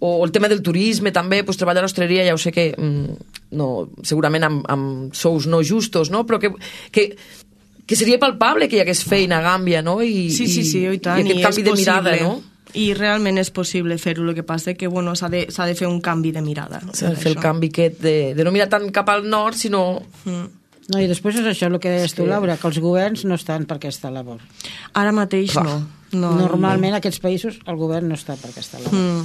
Speaker 4: o el tema del turisme també, pues, treballar a l'hostaleria, ja ho sé que no, segurament amb sous no justos, no? Però que seria palpable que hi hagués feina a Gàmbia, no? I
Speaker 6: tant,
Speaker 4: i aquest canvi de mirada, no?
Speaker 6: I realment és possible fer-ho, el que passa que s'ha de fer un canvi de mirada.
Speaker 4: S'ha de fer el canvi aquest de no mirar tant cap al nord, sinó...
Speaker 5: No, i després és això el que deies tu, Laura, que els governs no estan per aquesta labor.
Speaker 6: Ara mateix no.
Speaker 5: Normalment en aquests països el govern no està per aquesta labor.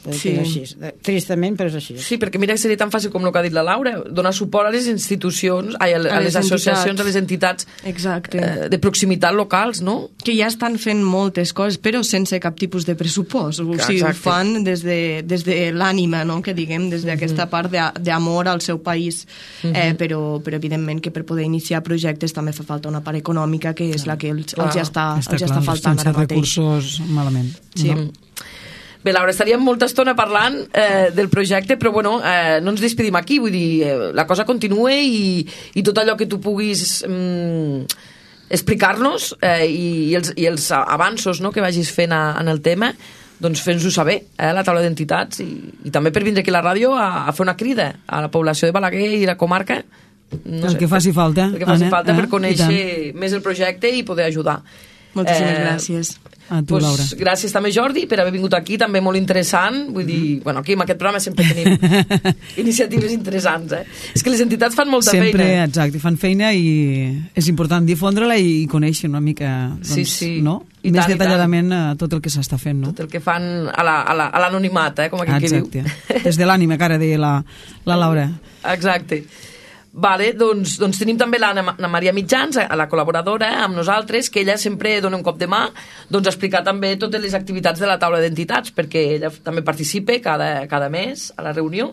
Speaker 5: Sí. És així. Tristament, però és així.
Speaker 4: Sí, perquè mira que seria tan fàcil com el que ha dit la Laura, donar suport a les institucions, a les associacions, a les entitats de proximitat locals, no?
Speaker 6: Que ja estan fent moltes coses, però sense cap tipus de pressupost. O sigui, ho fan des de l'ànima, no? Que diguem, des d'aquesta part d'amor al seu país. Però evidentment que per poder iniciar projectes també fa falta una part econòmica, que és la que els ja està faltant ara mateix.
Speaker 2: Sense recursos, malament.
Speaker 6: Sí.
Speaker 4: Bé, Laura, estaríem molta estona parlant del projecte, però bueno, no ens despedim aquí, vull dir, la cosa continua i tot allò que tu puguis explicar-nos i els avanços, no?, que vagis fent en el tema, doncs fes-nos-ho saber, la taula d'entitats, i també per vindre aquí a la ràdio a fer una crida a la població de Balaguer i la comarca,
Speaker 2: el que faci falta.
Speaker 4: El que faci falta per conèixer més el projecte i poder ajudar.
Speaker 6: Moltíssimes gràcies.
Speaker 2: A tu, Laura.
Speaker 4: Gràcies també, Jordi, per haver vingut aquí, també molt interessant. Vull dir, bueno, aquí en aquest programa sempre tenim iniciatives interessants, És que les entitats fan molta feina.
Speaker 2: Sempre, exacte, fan feina i és important difondre-la i conèixer una mica, doncs, no? Més detalladament tot el que s'està fent, no?
Speaker 4: Tot el que fan a l'anonimat, com aquell que diu.
Speaker 2: Exacte, des de l'ànima, que ara deia la Laura.
Speaker 4: Exacte. Vale, doncs tenim també l'Anna Maria Mitjans, la col·laboradora amb nosaltres, que ella sempre dona un cop de mà a explicar també totes les activitats de la taula d'entitats, perquè ella també participa cada mes a la reunió.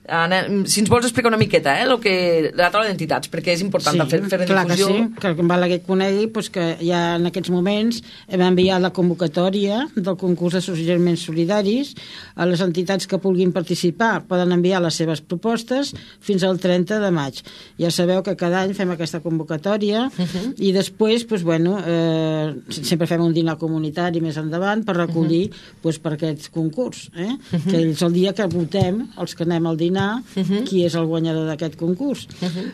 Speaker 4: Anna, si ens vols explicar una miqueta la taula d'entitats, perquè és important fer difusió.
Speaker 5: Clar que sí, que en Balaguer conegui que ja en aquests moments hem enviat la convocatòria del concurs de suggeriments solidaris a les entitats que vulguin participar. Poden enviar les seves propostes fins al 30 de maig. Ja sabeu que cada any fem aquesta convocatòria i després sempre fem un dinar comunitari més endavant per recollir per aquest concurs, que és el dia que votem els que anem al dinar qui és el guanyador d'aquest concurs.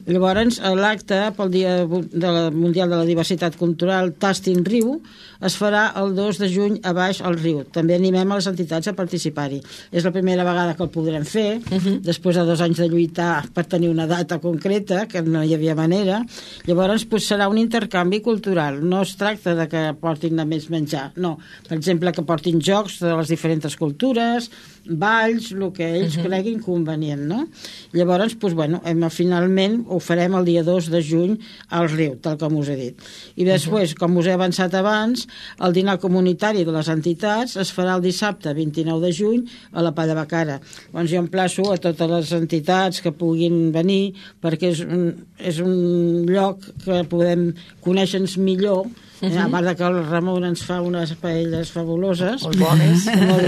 Speaker 5: Llavors, l'acte pel Dia Mundial de la Diversitat Cultural Tastin Riu es farà el 2 de juny a Baix al Riu. També animem a les entitats a participar-hi. És la primera vegada que el podrem fer, després de 2 anys de lluitar per tenir una data concreta, que no hi havia manera. Llavors, serà un intercanvi cultural. No es tracta de que portin només menjar, no. Per exemple, que portin jocs de les diferents cultures, balls, el que ells creguin convenient, no? Llavors, finalment ho farem el dia 2 de juny al Riu, tal com us he dit. I després, com us he avançat abans, el dinar comunitari de les entitats es farà el dissabte 29 de juny a la Palla Bacara. Doncs jo emplaço a totes les entitats que puguin venir, perquè és un lloc que podem conèixer-nos millor, a part que el Ramon ens fa unes paelles fabuloses, molt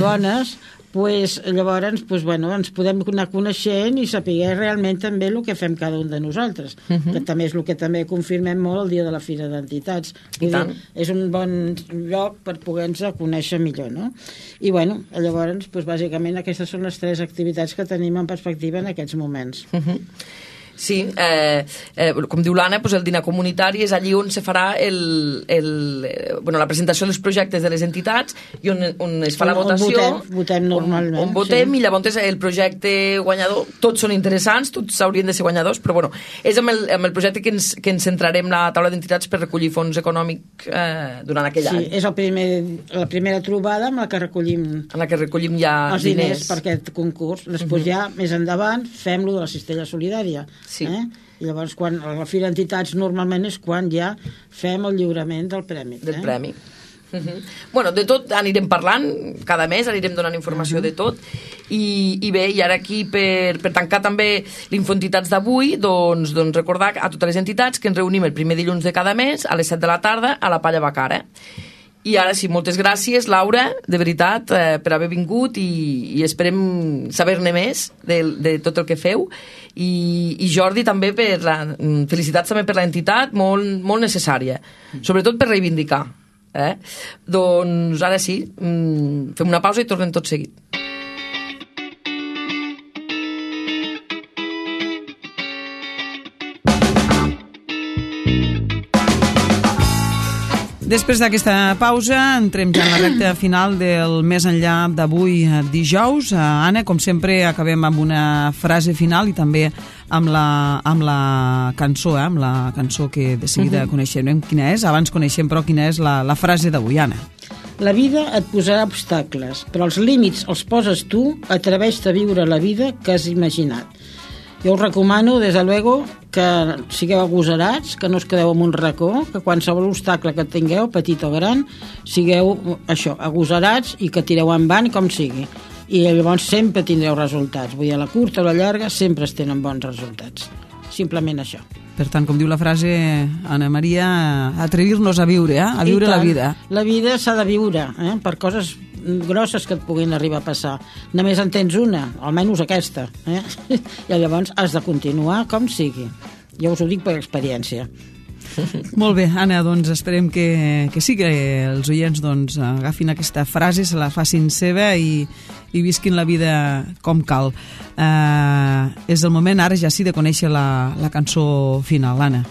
Speaker 5: bones, llavors ens podem anar coneixent i saber realment també el que fem cada un de nosaltres, que també és el que també confirmem molt el dia de la Fira d'Entitats. És un bon lloc per poder-nos conèixer millor, no? I llavors, bàsicament aquestes són les 3 activitats que tenim en perspectiva en aquests moments.
Speaker 4: Sí, com diu l'Anna, el dinar comunitari és allí on se farà la presentació dels projectes de les entitats i on es fa la votació.
Speaker 5: Votem normalment.
Speaker 4: On votem, i llavors el projecte guanyador, tots són interessants, tots haurien de ser guanyadors, però és amb el projecte que ens centrarem la taula d'entitats per recollir fons econòmic durant aquell any.
Speaker 5: Sí, és la primera trobada amb la que recollim
Speaker 4: ja
Speaker 5: els diners per aquest concurs. Després ja, més endavant, fem-lo de la cistella solidària.
Speaker 4: Sí.
Speaker 5: I llavors a la Fira d'Entitats normalment és quan ja fem el lliurament del premi.
Speaker 4: Del premi. De tot anirem parlant cada mes, anirem donant informació de tot i bé, i ara aquí per tancar també l'Infoentitats d'avui, doncs recordar a totes les entitats que ens reunim el primer dilluns de cada mes a les 7 de la tarda a la Palla Bacara. I ara sí, moltes gràcies, Laura, de veritat, per haver vingut i esperem saber-ne més de tot el que feu. I Jordi, també felicitats també per l'entitat, molt necessària, sobretot per reivindicar. Doncs ara sí, fem una pausa i tornem tot seguit.
Speaker 2: Després d'aquesta pausa, entrem ja en la recta final del Més enllà d'avui dijous. Anna, com sempre, acabem amb una frase final i també amb la cançó, amb la cançó que de seguida coneixem quina és. Abans coneixem, però, quina és la frase d'avui, Anna.
Speaker 5: La vida et posarà obstacles, però els límits els poses tu, atreveix-te a viure la vida que has imaginat. Jo us recomano, des de luego, que sigueu agosarats, que no us quedeu en un racó, que qualsevol obstacle que tingueu, petit o gran, sigueu agosarats i que tireu endavant com sigui. I llavors sempre tindreu resultats. Vull dir, a la curta o a la llarga sempre es tenen bons resultats. Simplement això.
Speaker 2: Per tant, com diu la frase, Anna Maria, atrevir-nos a viure, a viure la vida.
Speaker 5: La vida s'ha de viure, per coses grosses que et puguin arribar a passar. Només en tens una, almenys aquesta. I llavors has de continuar com sigui. Jo us ho dic per experiència.
Speaker 2: Molt bé, Anna, doncs esperem que sí, que els oients agafin aquesta frase, se la facin seva i visquin la vida com cal. És el moment ara ja sí de conèixer la cançó final, Anna.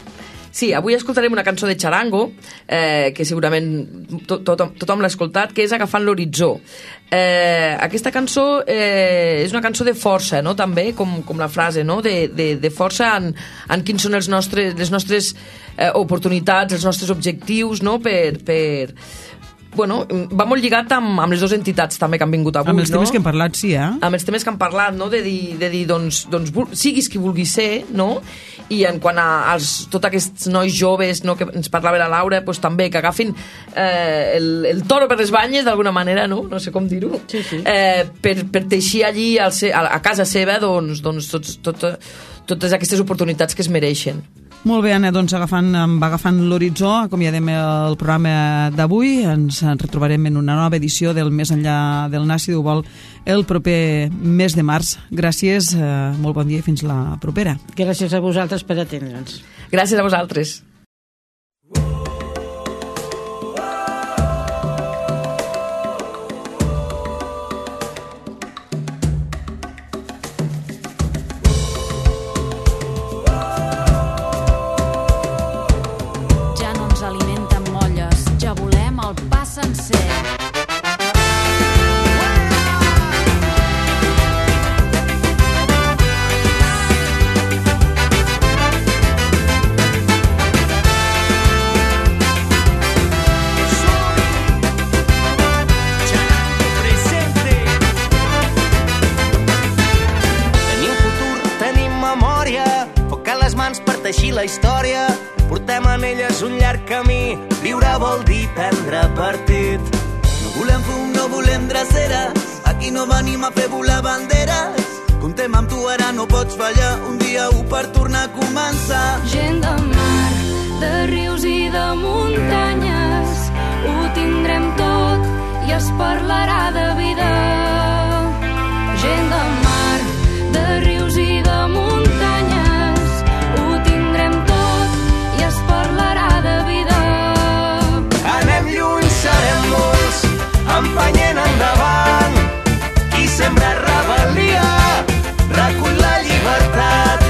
Speaker 4: Sí, avui escoltarem una cançó de Charango, que segurament tothom l'ha escoltat, que és Agafant l'horitzó. Aquesta cançó és una cançó de força, no? També, com la frase, no? De força en quins són les nostres oportunitats, els nostres objectius, no? Bueno, va molt lligat amb les dues entitats també que han vingut avui,
Speaker 2: amb els temes que hem parlat, sí,
Speaker 4: amb els temes que han parlat, no? De dir doncs siguis qui vulguis ser, no? I en quant a tots aquests nois joves, no? Que ens parlava la Laura, doncs també que agafin el toro per les banyes d'alguna manera, no? No sé com dir-ho,
Speaker 5: sí.
Speaker 4: Per teixir allí a casa seva doncs totes aquestes oportunitats que es mereixen.
Speaker 2: Molt bé, Anna, doncs agafant l'horitzó, acomiadem el programa d'avui. Ens retrobarem en una nova edició del Més enllà del Nas, si Déu vol, el proper mes de març. Gràcies, molt bon dia i fins la propera.
Speaker 5: Gràcies a vosaltres per atendre'ns.
Speaker 4: Gràcies a vosaltres.
Speaker 7: sencer.
Speaker 8: Teixir la història, portem en elles un llarg camí. Viure vol dir prendre partit.
Speaker 9: No volem fum, no volem dreceres, aquí no venim a fer volar banderes. Comptem amb tu, ara no pots fallar, un dia per tornar a començar.
Speaker 7: Gent de mar, de rius i de muntanyes, ho tindrem tot i es parlarà de vida. Gent de mar, de rius i de muntanyes,
Speaker 8: empenyent endavant. Qui sembra rebel·lia recull la llibertat.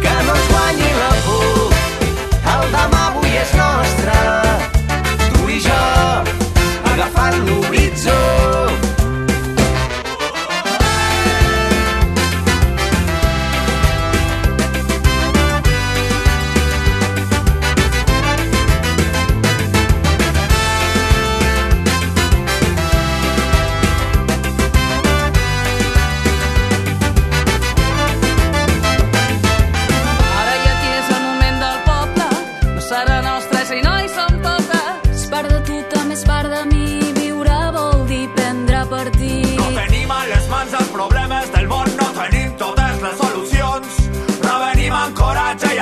Speaker 8: Que no ens guanyi la por, el demà avui és nostre. Tu i jo agafant l'horitzó.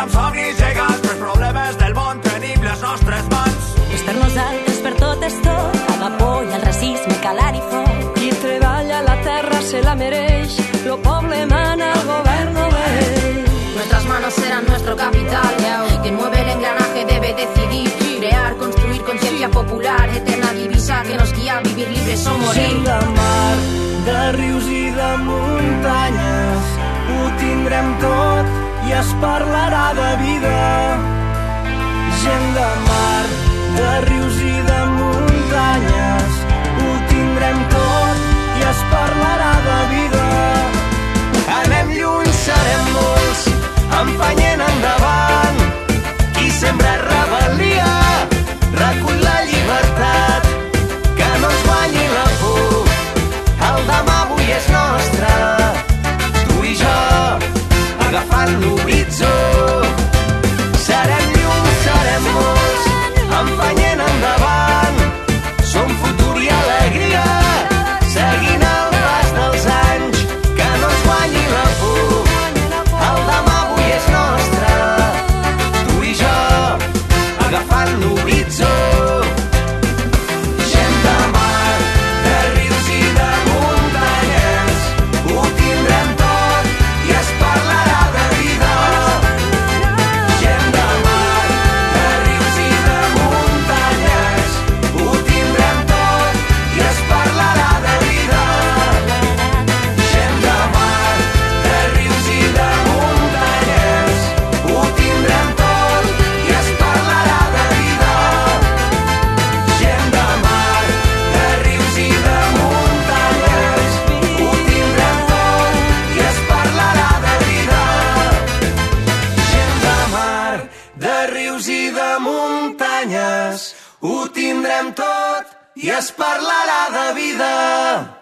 Speaker 10: Amb somnis gegants, però els problemes del món tenim les nostres mans.
Speaker 11: És per nosaltres, per tot és tot, amb por i el racisme, calar i foc.
Speaker 12: Qui treballa la terra se la mereix, lo poble mana, el govern no ve.
Speaker 13: Nuestras manos serán nuestro capital, quien mueve el engranaje debe decidir, crear, construir conciencia popular, eterna divisa que nos guía a vivir libres o morir.
Speaker 8: Gent de mar, de rius i de muntanyes, ho tindrem tot i es parlarà de vida. Gent de mar, de rius i de muntanyes, ho tindrem tot i es parlarà de vida. Anem lluny, serem molts, empenyent endavant. Qui sembra rebel·lia recull la llibertat. Que no ens guanyi la por, el demà avui és nostre. Tu i jo agafant l'horitzó. Serem llum, serem molts, empenyent endavant. Som futur i alegria, seguint el pas dels anys. Que no ens guanyi la por, el demà avui és nostre. Tu i jo agafant l'horitzó. Gent de mar, de rius i de muntanyes, ho tindrem tot i es parlarà de vida. muntanyes, ho tindrem tot i es parlarà de vida.